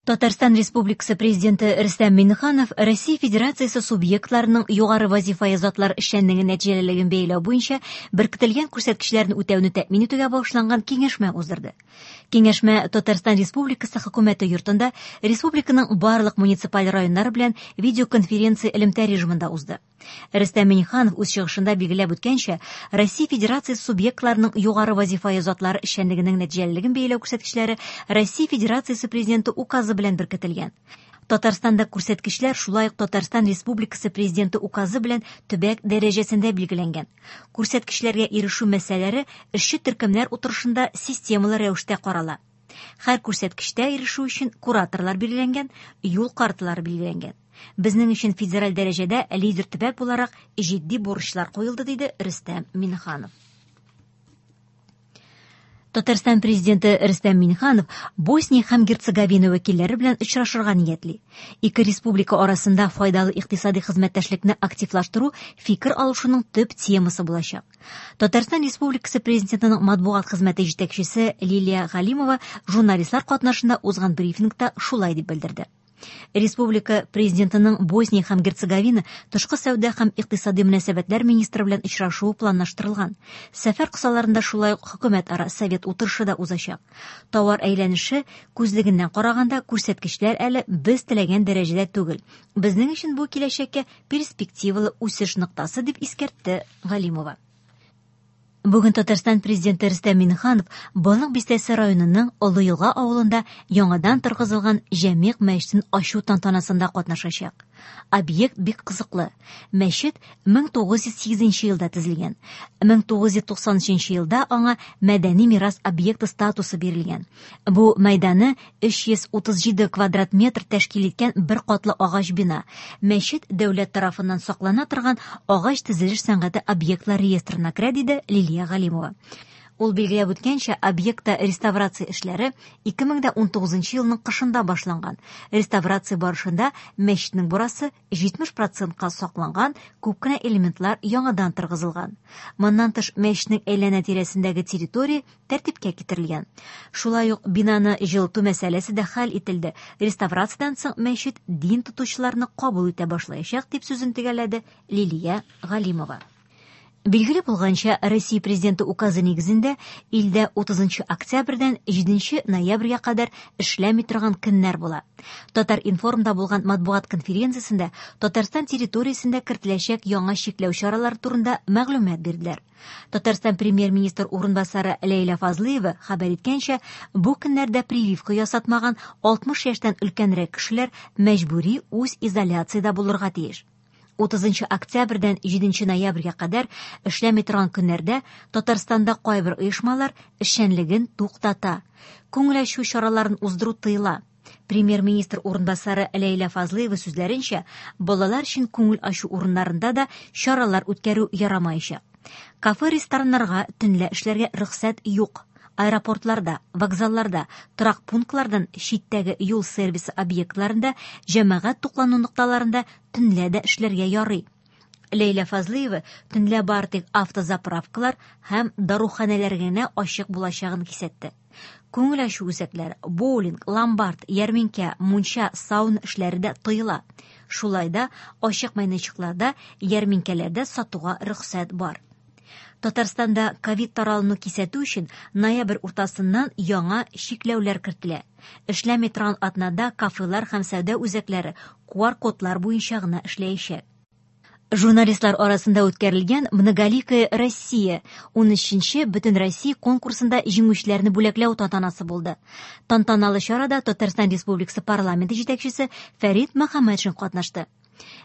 Татарстан Республикасы Президенты Рөстәм Миңнеханов Россия Федерациясе субъектларының югары вазифаи затлар эшчәнлеге нәтиҗәлелеген бәяләү буенча беркетелгән күрсәткечләрне үтәүне тәэмин итүгә багышланган киңәшмә уздырды. Киңәшмә Татарстан Республикасы Хөкүмәте йортында республиканың барлык муниципаль районнары белән видеоконференция элемтә режимында узды. Рөстәм Миңнеханов үз чыгышында билгеләп үткәнчә, Россия Федерациясе субъектларының югары вазифаи затлары эшчәнлегенең нәтиҗәлелеген бәяләү күрсәткечләре Россия Федерациясе Президенты указы белән беркетелгән. Татарстанда күрсәткечләр шулай ук Татарстан Республикасы Президенты указы белән төбәк дәрәҗәсендә билгеләнгән. Күрсәткечләргә ирешү мәсьәләләре эшче төркемнәр утырышында системалы рәвештә карала. Һәр күрсәткечтә ирешү өчен кураторлар билгеләнгән, юл карталары билгеләнгән. Безнең өчен федераль дәрәҗәдә лидер төбәк буларак җитди бурычлар куелды, диде Рөстәм Миңнеханов. Татарстан президенты Рөстәм Миңнеханов Босния һәм Герцеговина вәкилләре белән очрашырга ниятли. Ике республика арасында файдалы икътисади хезмәттәшлекне активлаштыру фикер алышуның төп темасы булачак. Татарстан Республикасы Президентының матбугат хезмәте җитәкчесе Лилия Галимова журналистлар катнашында узган брифингта шулай дип белдерде. Республика Президентының Босния һәм Герцеговина тышкы сәүдә һәм икътисади мөнәсәбәтләр министры белән очрашуы планлаштырылган. Сәфәр кысаларында шулай ук хөкүмәтара совет утырышы да узачак. Товар әйләнеше күзлегеннән караганда күрсәткечләр әле без теләгән дәрәҗәдә түгел. Безнең өчен бу киләчәккә перспективалы үсеш ноктасы, дип искәртте Галимова. Бүген Татарстан Президенты Рөстәм Миңнеханов Балык Бистәсе районының Олы Елга авылында яңадан торгызылган Җәмигъ мәчетен ачу тантанасында катнашачак. Объект бик кызыклы. Мәчет 1908 елда төзелгән. 1993 елда аңа мәдәни мирас объекты статусы бирелгән. Бу мәйданы 337 квадрат метр тәшкил иткән бер катлы агач бина. Мәчет дәүләт тарафыннан саклана торган агач төзелеш сәнгате объектлар реестрына керә, диде Лилия Галимова. Ул билгеләп үткәнчә, объектта реставрация эшләре 2019 елның кышында башланган. Реставрация барышында мәчетнең бурасы 70 процентка сакланган, күп кенә элементлар яңадан торгызылган. Моннан тыш, мәчетнең әйләнә-тирәсендәге территория тәртипкә китерелгән. Шулай ук бинаны җылыту мәсьәләсе дә хәл ителде. Реставрациядән соң мәчет дин тотучыларны кабул итә башлаячак, дип сүзен төгәлләде Лилия Галимова. Билгеле булганча, Россия Президенты указы нигезендә илдә 30 октябрьдән 7 ноябрьгә кадәр эшләми торган көннәр була. Татар-информда булган матбугат конференциясендә Татарстан территориясендә кертеләчәк яңа чикләү чаралары турында мәгълүмат бирделәр. Татарстан премьер-министр урынбасары Ләйлә Фазлыева хәбәр иткәнчә, бу көннәрдә прививка ясатмаган 60 яшьтән өлкәнрәк кешеләр мәҗбүри үз изоляциядә булырга тиеш. 30 октябрьдән 7 ноябрьгә кадәр эшләми торган көннәрдә Татарстанда кайбер оешмалар эшчәнлеген туктата. Күңел ачу чараларын уздыру тыела. Премьер-министр урынбасары Ләйлә Фазлыева сүзләренчә, балалар өчен күңел ачу урыннарында да чаралар үткәрү ярамаячак. Кафе-рестораннарга төнлә эшләргә рөхсәт юк. Аэропортларда, вокзалларда, торак пунктлардан читтәге юл сервисы объектларында, җәмәгать туклану нокталарында төнлә дә эшләргә ярый. Ләйлә Фазлыева төнлә бары тик автозаправкалар һәм даруханәләр генә ачык булачагын кисәтте. Күңел ачу үзәкләре, боулинг, ломбард, ярминкә, мунча, сауна эшләре дә тыела. Шулай да ачык мәйданчыкларда, ярминкәләрдә сатуга рөхсәт бар. Татарстанда ковид таралуны кисәтү өчен ноябрь уртасыннан яңа чикләүләр кертелә. Эшләми торган атнада кафелар һәм сәүдә үзәкләре QR-кодлар буенча гына эшләячәк. Журналистлар арасында үткәрелгән Многоликая Россия 13нче Бөтенроссия конкурсында җиңүчеләрне бүләкләү тантанасы булды. Тантаналы чарада Татарстан Республикасы парламенты җитәкчесе Фәрит Мөхәммәтшин катнашты.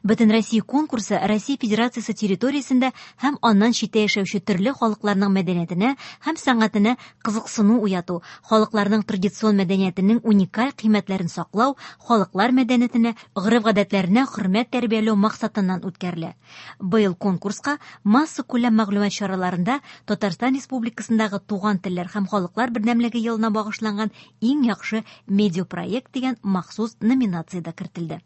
Бөтенроссия конкурсы Россия Федерациясе территориясендә һәм аннан читтә яшәүче төрле халыкларның мәдәниятенә һәм сәнгатенә кызыксыну уяту, халыкларның традицион мәдәниятенең уникаль кыйммәтләрен саклау, халыклар мәдәниятенә, гореф-гадәтләренә хөрмәт тәрбияләү максатыннан үткәрелә. Быел конкурска массакүләм мәгълүмат чараларында Татарстан Республикасындагы туган телләр һәм халыклар бердәмлеге елына багышланган иң яхшы медиапроект дигән махсус номинация дә кертелде.